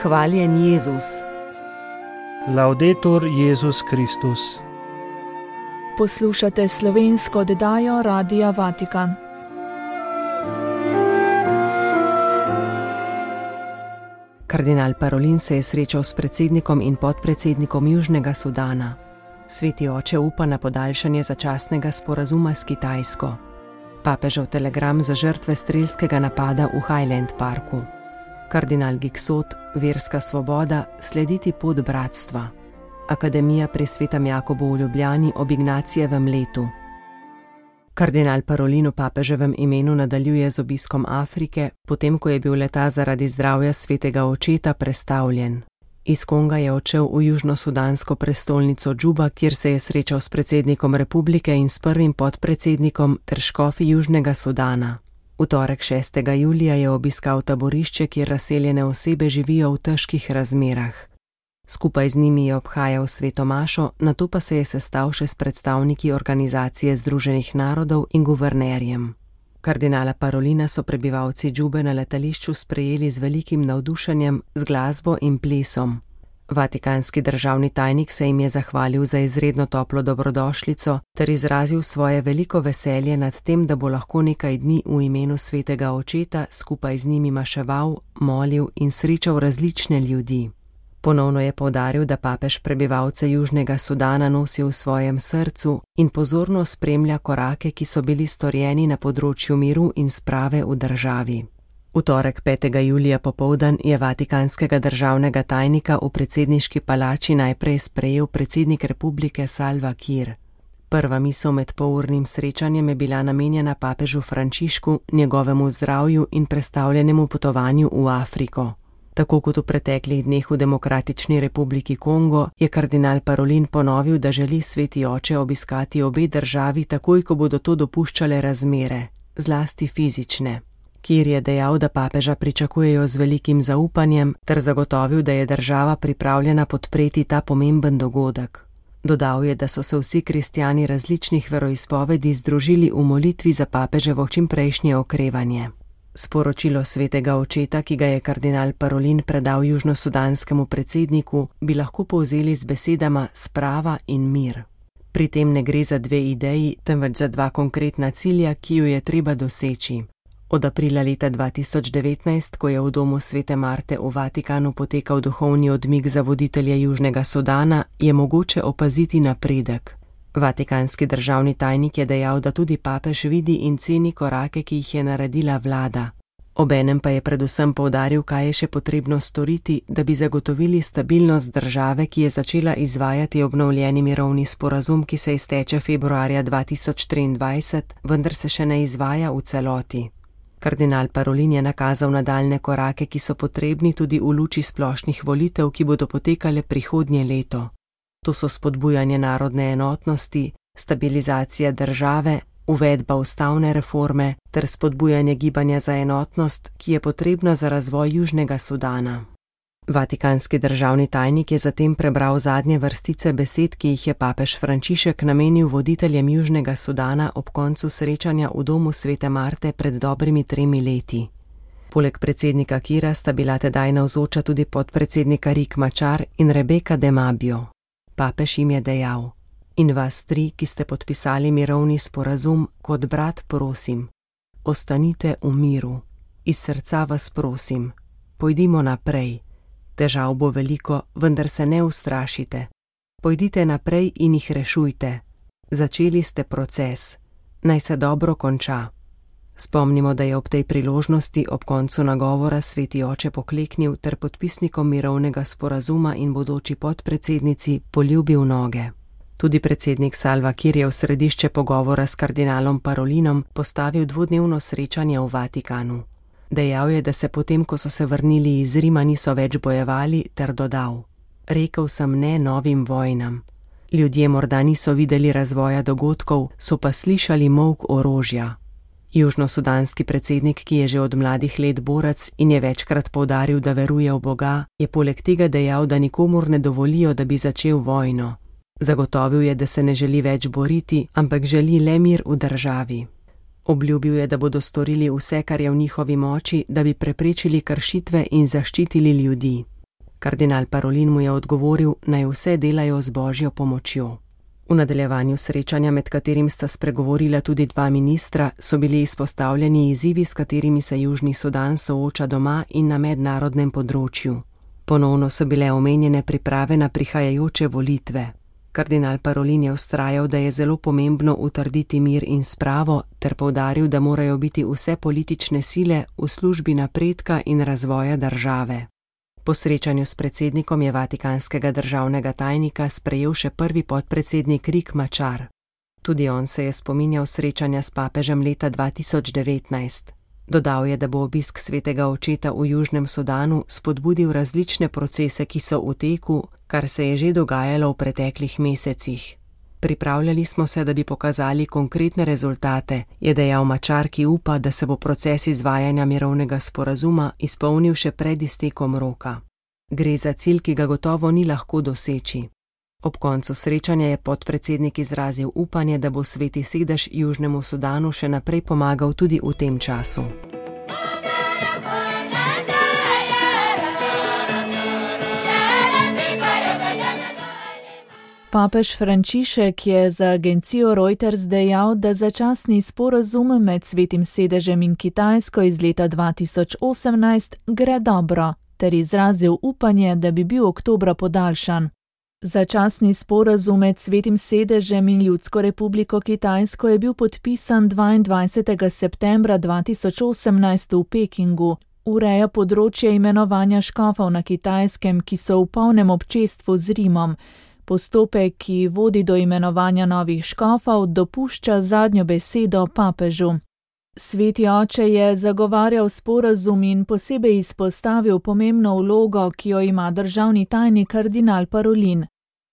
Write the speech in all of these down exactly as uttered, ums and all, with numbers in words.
Hvaljen Jezus. Laudetur Jezus Kristus. Poslušate slovensko oddajo Radia Vatikan. Kardinal Parolin se je srečal s predsednikom in podpredsednikom Južnega Sudana. Sveti oče upa na podaljšanje začasnega sporazuma s Kitajsko. Papežev telegram za žrtve strelskega napada v Highland Parku. Kardinal Giksot, verska svoboda, slediti pot bratstva. Akademija pri Svetem Jakobu v Ljubljani ob Ignacijevem letu. Kardinal Parolin v papeževem imenu nadaljuje z obiskom Afrike, potem ko je bil leta zaradi zdravja svetega očeta prestavljen. Iz Konga je odšel v južnosudansko prestolnico Džuba, kjer se je srečal s predsednikom republike in s prvim podpredsednikom ter škofi Južnega Sudana. V torek šestega julija je obiskal taborišče, kjer razseljene osebe živijo v težkih razmerah. Skupaj z njimi je obhajal sveto mašo, nato pa se je sestal še s predstavniki Organizacije združenih narodov in guvernerjem. Kardinala Parolina so prebivalci Džube na letališču sprejeli z velikim navdušenjem, z glasbo in plesom. Vatikanski državni tajnik se jim je zahvalil za izredno toplo dobrodošlico ter izrazil svoje veliko veselje nad tem, da bo lahko nekaj dni v imenu svetega očeta skupaj z njimi maševal, molil in srečal različne ljudi. Ponovno je poudaril, da papež prebivalce Južnega Sudana nosi v svojem srcu in pozorno spremlja korake, ki so bili storjeni na področju miru in sprave v državi. V torek petega julija popoldan je vatikanskega državnega tajnika v predsedniški palači najprej sprejel predsednik republike Salva Kiir. Prva misel med polurnim srečanjem je bila namenjena papežu Frančišku, njegovemu zdravju in prestavljenemu potovanju v Afriko. Tako kot v preteklih dneh v Demokratični republiki Kongo, je kardinal Parolin ponovil, da želi sveti oče obiskati obe državi takoj, ko bodo to dopuščale razmere, zlasti fizične. Kiir je dejal, da papeža pričakujejo z velikim zaupanjem, ter zagotovil, da je država pripravljena podpreti ta pomemben dogodek. Dodal je, da so se vsi kristjani različnih veroizpovedi združili v molitvi za papeževo čimprejšnje okrevanje. Sporočilo svetega očeta, ki ga je kardinal Parolin predal južnosudanskemu predsedniku, bi lahko povzeli z besedama sprava in mir. Pri tem ne gre za dve ideji, temveč za dva konkretna cilja, ki ju je treba doseči. Od aprila leta dva tisoč devetnajst, ko je v domu svete Marte v Vatikanu potekal duhovni odmik za voditelje Južnega Sudana, je mogoče opaziti napredek. Vatikanski državni tajnik je dejal, da tudi papež vidi in ceni korake, ki jih je naredila vlada. Obenem pa je predvsem poudaril, kaj je še potrebno storiti, da bi zagotovili stabilnost države, ki je začela izvajati obnovljeni mirovni sporazum, ki se izteče februarja dva tisoč triindvajset, vendar se še ne izvaja v celoti. Kardinal Parolin je nakazal nadaljne korake, ki so potrebni tudi v luči splošnih volitev, ki bodo potekale prihodnje leto. To so spodbujanje narodne enotnosti, stabilizacija države, uvedba ustavne reforme ter spodbujanje gibanja za enotnost, ki je potrebna za razvoj Južnega Sudana. Vatikanski državni tajnik je zatem prebral zadnje vrstice besed, ki jih je papež Frančišek namenil voditeljem Južnega Sudana ob koncu srečanja v domu svete Marte pred dobrimi tremi leti. Poleg predsednika Kiira sta bila tedaj navzoča tudi podpredsednika Riek Machar in Rebeka de Mabio. Papež jim je dejal: in vas tri, ki ste podpisali mirovni sporazum, kot brat prosim, ostanite v miru. Iz srca vas prosim, pojdimo naprej. Težav bo veliko, vendar se ne ustrašite. Pojdite naprej in jih rešujte. Začeli ste proces. Naj se dobro konča. Spomnimo, da je ob tej priložnosti ob koncu nagovora sveti oče pokleknil ter podpisnikom mirovnega sporazuma in bodoči podpredsednici poljubil noge. Tudi predsednik Salva Kiir je v središče pogovora s kardinalom Parolinom postavil dvodnevno srečanje v Vatikanu. Dejal je, da se potem, ko so se vrnili iz Rima, niso več bojevali, ter dodal: rekel sem ne novim vojnam. Ljudje morda niso videli razvoja dogodkov, so pa slišali molk orožja. Južnosudanski predsednik, ki je že od mladih let borec in je večkrat poudaril, da veruje v Boga, je poleg tega dejal, da nikomur ne dovolijo, da bi začel vojno. Zagotovil je, da se ne želi več boriti, ampak želi le mir v državi. Obljubil je, da bodo storili vse, kar je v njihovi moči, da bi preprečili kršitve in zaščitili ljudi. Kardinal Parolin mu je odgovoril, naj vse delajo z božjo pomočjo. V nadaljevanju srečanja, med katerim sta spregovorila tudi dva ministra, so bili izpostavljeni izzivi, s katerimi se Južni Sudan sooča doma in na mednarodnem področju. Ponovno so bile omenjene priprave na prihajajoče volitve. Kardinal Parolin je vztrajal, da je zelo pomembno utrditi mir in spravo, ter poudaril, da morajo biti vse politične sile v službi napredka in razvoja države. Po srečanju s predsednikom je vatikanskega državnega tajnika sprejel še prvi podpredsednik Riek Machar. Tudi on se je spominjal srečanja s papežem leta dva tisoč devetnajst. Dodal je, da bo obisk svetega očeta v Južnem Sudanu spodbudil različne procese, ki so v teku, kar se je že dogajalo v preteklih mesecih. Pripravljali smo se, da bi pokazali konkretne rezultate, je dejal Machar, ki upa, da se bo proces izvajanja mirovnega sporazuma izpolnil še pred iztekom roka. Gre za cilj, ki ga gotovo ni lahko doseči. Ob koncu srečanja je podpredsednik izrazil upanje, da bo Sveti sedež Južnemu Sudanu še naprej pomagal tudi v tem času. Papež Frančišek je za agencijo Reuters dejal, da začasni sporazum med Svetim sedežem in Kitajsko iz leta dva tisoč osemnajst gre dobro, ter izrazil upanje, da bi bil oktobra podaljšan. Začasni sporazum med Svetim sedežem in Ljudsko republiko Kitajsko je bil podpisan dvaindvajsetega septembra dva tisoč osemnajst v Pekingu. Ureja področje imenovanja škofov na Kitajskem, ki so v polnem občestvu z Rimom. Postopek, ki vodi do imenovanja novih škofov, dopušča zadnjo besedo papežu. Sveti oče je zagovarjal sporazum in posebej izpostavil pomembno vlogo, ki jo ima državni tajnik kardinal Parolin.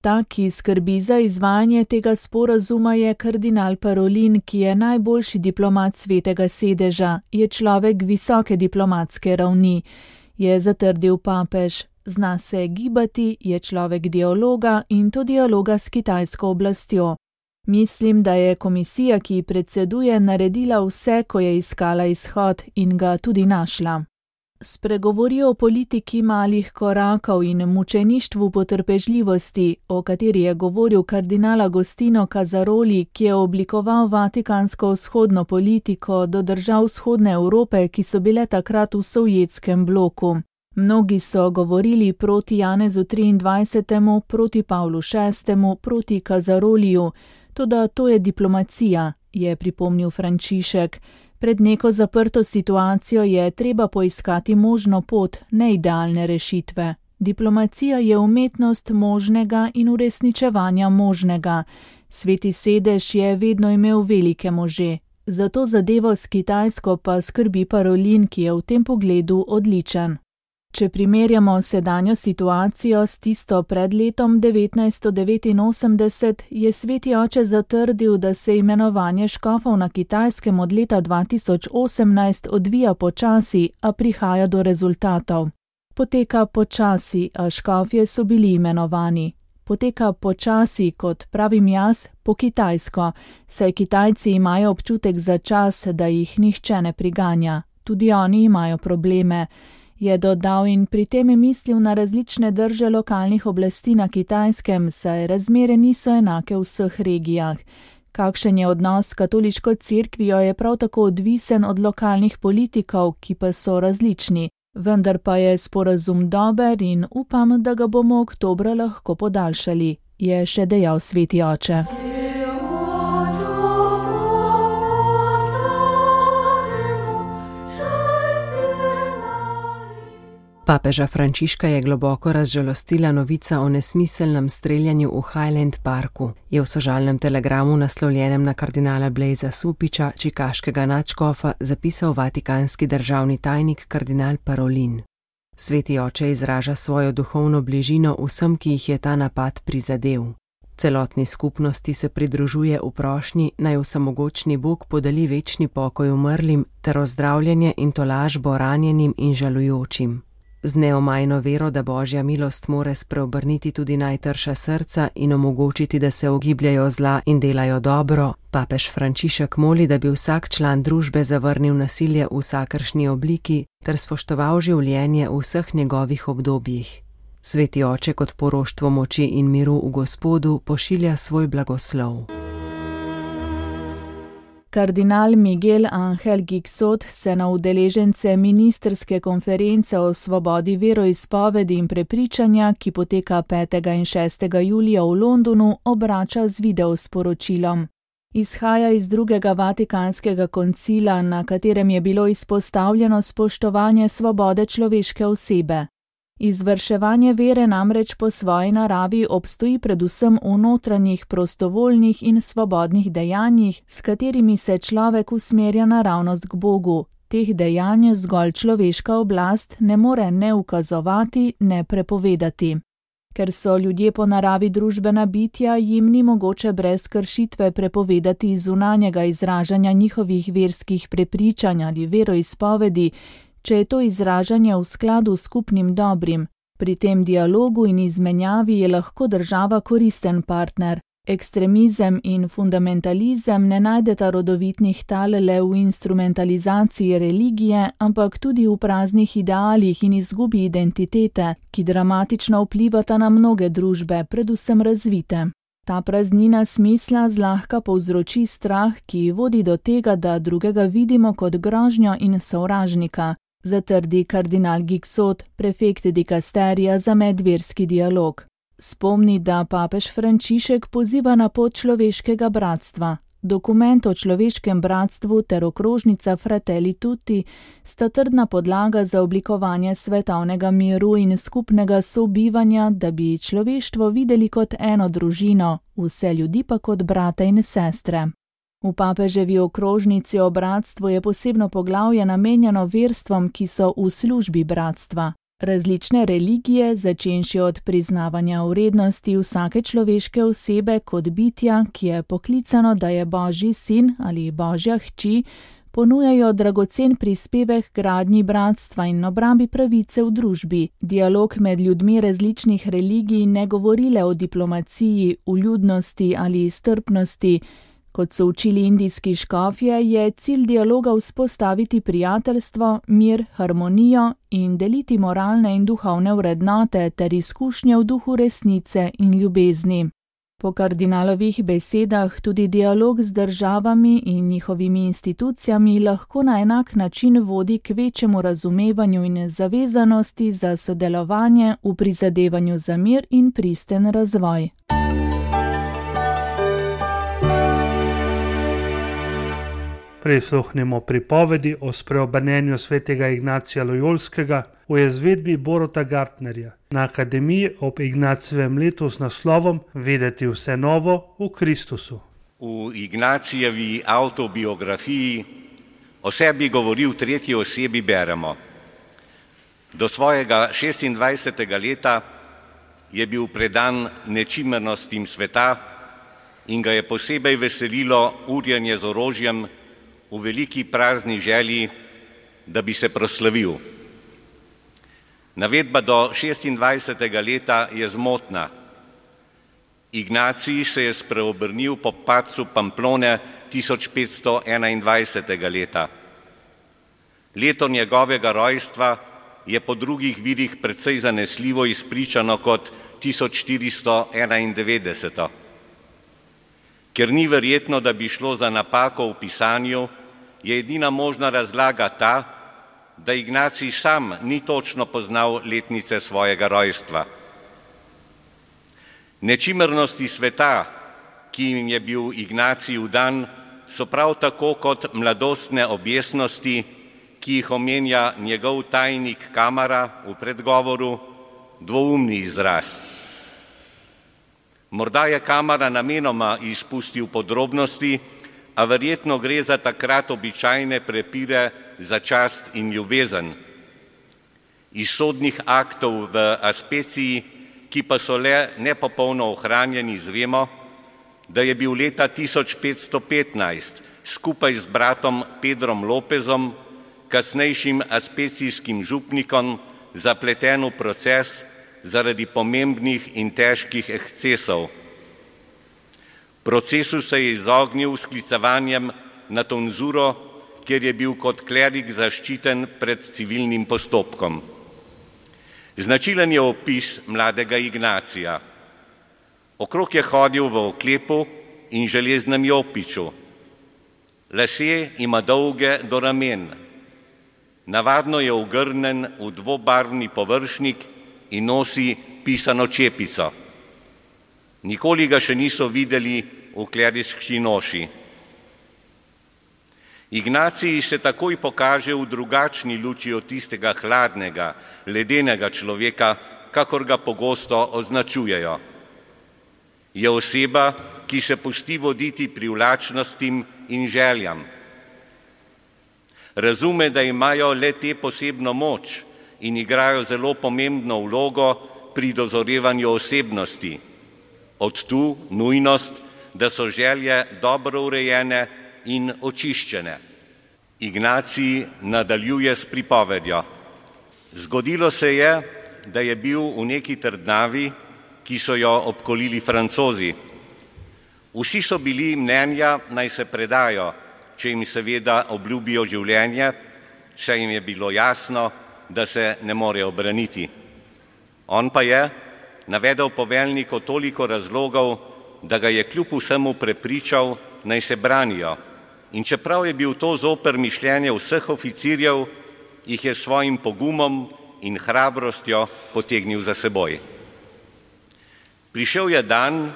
Ta, ki skrbi za izvajanje tega sporazuma, je kardinal Parolin, ki je najboljši diplomat Svetega sedeža, je človek visoke diplomatske ravni, je zatrdil papež. Zna se gibati, je človek dialoga in to dialoga s kitajsko oblastjo. Mislim, da je komisija, ki predseduje, naredila vse, ko je iskala izhod in ga tudi našla. Spregovori o politiki malih korakov in mučeništvu potrpežljivosti, o kateri je govoril kardinal Agostino Casaroli, ki je oblikoval vatikansko vzhodno politiko do držav vzhodne Evrope, ki so bile takrat v sovjetskem bloku. Mnogi so govorili proti Janezu triindvajsetemu, proti Pavlu šestemu, proti Casaroliju, toda to je diplomacija, je pripomnil Frančišek. Pred neko zaprto situacijo je treba poiskati možno pot, ne idealne rešitve. Diplomacija je umetnost možnega in uresničevanja možnega. Sveti sedež je vedno imel velike može. Zato zadevo s Kitajsko pa skrbi Parolin, ki je v tem pogledu odličen. Če primerjamo sedanjo situacijo s tisto pred letom devetnajststo devetinosemdeset, je Sveti oče zatrdil, da se imenovanje škofov na Kitajskem od leta dva tisoč osemnajst odvija počasi, a prihaja do rezultatov. Poteka počasi, a škofje so bili imenovani. Poteka počasi, kot pravim jaz, po kitajsko, saj Kitajci imajo občutek za čas, da jih nihče ne priganja. Tudi oni imajo probleme. Je dodal in pri tem je mislil na različne drže lokalnih oblasti na Kitajskem, saj razmere niso enake v vseh regijah. Kakšen je odnos s katoliško cerkvijo, je prav tako odvisen od lokalnih politikov, ki pa so različni. Vendar pa je sporazum dober in upam, da ga bomo oktobra lahko podaljšali, je še dejal Sveti oče. Papeža Frančiška je globoko razžalostila novica o nesmiselnem streljanju v Highland Parku, je v sožalnem telegramu naslovljenem na kardinala Blaisa Supiča, čikaškega nadškofa, zapisal vatikanski državni tajnik kardinal Parolin. Sveti oče izraža svojo duhovno bližino vsem, ki jih je ta napad prizadel. Celotni skupnosti se pridružuje v prošnji, naj vsemogočni Bog podeli večni pokoj umrlim ter ozdravljanje in tolažbo ranjenim in žalujočim. Z neomajno vero, da božja milost more spreobrniti tudi najtrša srca in omogočiti, da se ogibljajo zla in delajo dobro, papež Frančišek moli, da bi vsak član družbe zavrnil nasilje v vsakršni obliki ter spoštoval življenje v vseh njegovih obdobjih. Sveti oče kot poroštvo moči in miru v Gospodu pošilja svoj blagoslov. Kardinal Miguel Ángel Gixot se na udeležence ministrske konference o svobodi veroizpovedi in prepričanja, ki poteka petega in šestega julija v Londonu, obrača z videosporočilom. Izhaja iz drugega vatikanskega koncila, na katerem je bilo izpostavljeno spoštovanje svobode človeške osebe. Izvrševanje vere namreč po svoji naravi obstoji predvsem v notranjih, prostovoljnih in svobodnih dejanjih, s katerimi se človek usmerja naravnost k Bogu. Teh dejanj zgolj človeška oblast ne more ne ukazovati, ne prepovedati. Ker so ljudje po naravi družbena bitja, jim ni mogoče brez kršitve prepovedati zunanjega izražanja njihovih verskih prepričanj ali veroizpovedi, če je to izražanje v skladu s skupnim dobrim. Pri tem dialogu in izmenjavi je lahko država koristen partner. Ekstremizem in fundamentalizem ne najdeta rodovitnih tal le v instrumentalizaciji religije, ampak tudi v praznih idealih in izgubi identitete, ki dramatično vplivata na mnoge družbe, predvsem razvite. Ta praznina smisla zlahka povzroči strah, ki vodi do tega, da drugega vidimo kot grožnjo in sovražnika, zatrdi kardinal Gixot, prefekt dikasterija za medverski dialog. Spomni, da papež Frančišek poziva na pot človeškega bratstva. Dokument o človeškem bratstvu ter okrožnica Fratelli Tutti sta trdna podlaga za oblikovanje svetovnega miru in skupnega sobivanja, da bi človeštvo videli kot eno družino, vse ljudi pa kot brate in sestre. V papeževi okrožnici o bratstvu je posebno poglavje namenjeno verstvom, ki so v službi bratstva. Različne religije, začenši od priznavanja vrednosti vsake človeške osebe kot bitja, ki je poklicano, da je Božji sin ali Božja hči, ponujajo dragocen prispevek gradnji bratstva in obrambi pravice v družbi. Dialog med ljudmi različnih religij ne govori le o diplomaciji, vljudnosti ali strpnosti. Kot so učili indijski škofje, je cilj dialoga vzpostaviti prijateljstvo, mir, harmonijo in deliti moralne in duhovne vrednote ter izkušnje v duhu resnice in ljubezni. Po kardinalovih besedah tudi dialog z državami in njihovimi institucijami lahko na enak način vodi k večjemu razumevanju in zavezanosti za sodelovanje v prizadevanju za mir in pristen razvoj. Prisluhnimo pripovedi o spreobrnenju svetega Ignacija Lojolskega v izvedbi Boruta Gartnerja na Akademiji ob Ignacijevem letu z naslovom Vedeti vse novo v Kristusu. V Ignacijevi avtobiografiji o sebi govori v tretji osebi beremo. Do svojega šestindvajsetega leta je bil predan nečimrnostim sveta in ga je posebej veselilo urjenje z orožjem v veliki prazni želji, da bi se proslavil. Navedba do šestindvajsetega leta je zmotna. Ignacij se je spreobrnil po padcu Pamplone tisoč petsto enaindvajsetega leta. Leto njegovega rojstva je po drugih virih precej zanesljivo izpričano kot tisoč štiristo enaindevetdeset. Ker ni verjetno, da bi šlo za napako v pisanju, je edina možna razlaga ta, da Ignacij sam ni točno poznal letnice svojega rojstva. Nečimrnosti sveta, ki jim je bil Ignacij vdan, so prav tako kot mladostne objesnosti, ki jih omenja njegov tajnik Kamara v predgovoru, dvoumni izraz. Morda je Kamara namenoma izpustil podrobnosti, a verjetno gre za takrat običajne prepire za čast in ljubezen. Iz sodnih aktov v Aspeciji, ki pa so le nepopolno ohranjeni, izvemo, da je bil leta tisoč petsto petnajst skupaj z bratom Pedrom Lopezom, kasnejšim aspecijskim župnikom, zapleten v proces zaradi pomembnih in težkih ekscesov. Procesu se je izognil sklicevanjem na tonzuro, kjer je bil kot klerik zaščiten pred civilnim postopkom. Značilen je opis mladega Ignacija. Okrog je hodil v oklepu in železnem jopiču. Lasje ima dolge do ramen. Navadno je ogrnjen v dvobarvni površnik in nosi pisano čepico. Nikoli ga še niso videli v kleriški noši. Ignacij se takoj pokaže v drugačni luči od tistega hladnega, ledenega človeka, kakor ga pogosto označujejo. Je oseba, ki se pusti voditi privlačnostim in željam. Razume, da imajo le te posebno moč in igrajo zelo pomembno vlogo pri dozorevanju osebnosti. Od tu nujnost, da so želje dobro urejene in očiščene. Ignacij nadaljuje s pripovedjo. Zgodilo se je, da je bil v neki trdnjavi, ki so jo obkolili Francozi. Vsi so bili mnenja, naj se predajo, če jim seveda obljubijo življenje, saj jim je bilo jasno, da se ne morejo braniti. On pa je navedel poveljniku toliko razlogov, da ga je kljub vsemu prepričal, naj se branijo. In čeprav je bil to zoper mišljenje vseh oficirjev, jih je svojim pogumom in hrabrostjo potegnil za seboj. Prišel je dan,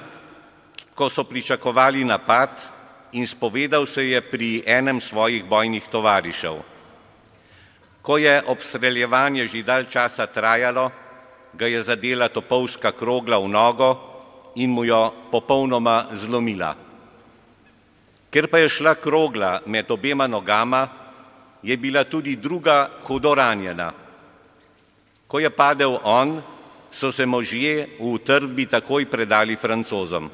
ko so pričakovali napad, in spovedal se je pri enem svojih bojnih tovarišev. Ko je obstreljevanje že dalj časa trajalo, ga je zadela topovska krogla v nogo in mu jo popolnoma zlomila. Ker pa je šla krogla med obema nogama, je bila tudi druga hudo ranjena. Ko je padel on, so se možje v utrdbi takoj predali Francozom.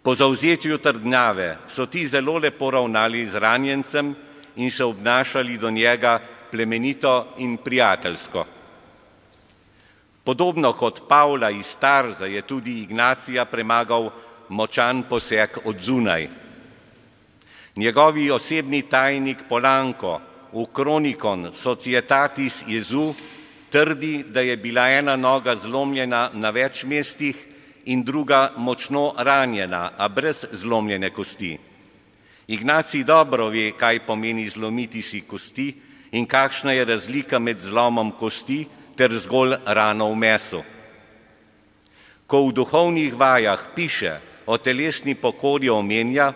Po zavzetju trdnjave so ti zelo lepo ravnali z ranjencem in se obnašali do njega plemenito in prijateljsko. Podobno kot Pavla iz Tarza je tudi Ignacija premagal močan poseg od zunaj. Njegovi osebni tajnik Polanko v Kronikon Societatis Jesu trdi, da je bila ena noga zlomljena na več mestih in druga močno ranjena, a brez zlomljene kosti. Ignacij dobro ve, kaj pomeni zlomiti si kosti in kakšna je razlika med zlomom kosti ter zgolj rano v mesu. Ko v duhovnih vajah piše o telesni pokori, omenja,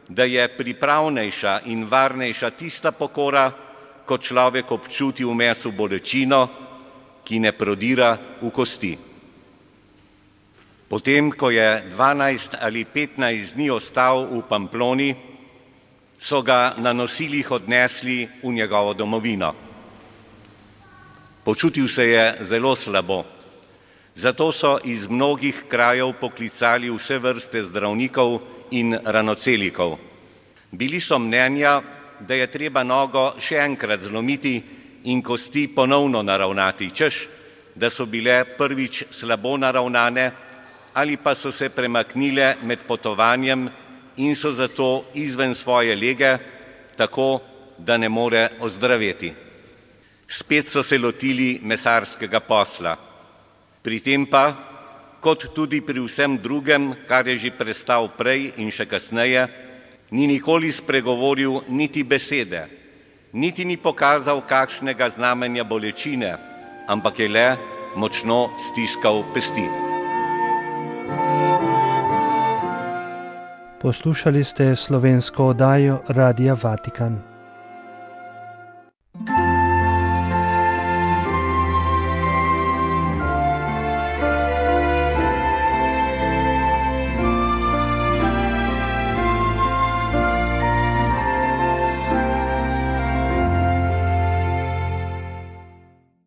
da je pripravnejša in varnejša tista pokora, ko človek občuti v mesu bolečino, ki ne prodira v kosti. Potem, ko je dvanajst ali petnajst dni ostal v Pamploni, so ga na nosilih odnesli v njegovo domovino. Počutil se je zelo slabo. Zato so iz mnogih krajev poklicali vse vrste zdravnikov in ranocelikov. Bili so mnenja, da je treba nogo še enkrat zlomiti in kosti ponovno naravnati, češ, da so bile prvič slabo naravnane ali pa so se premaknile med potovanjem in so zato izven svoje lege, tako da ne more ozdraveti. Spet so se lotili mesarskega posla. Pri tem pa, kot tudi pri vsem drugem, kar je že prestal prej in še kasneje, ni nikoli spregovoril niti besede, niti ni pokazal kakšnega znamenja bolečine, ampak je le močno stiskal pesti. Poslušali ste slovensko oddajo Radia Vatikan.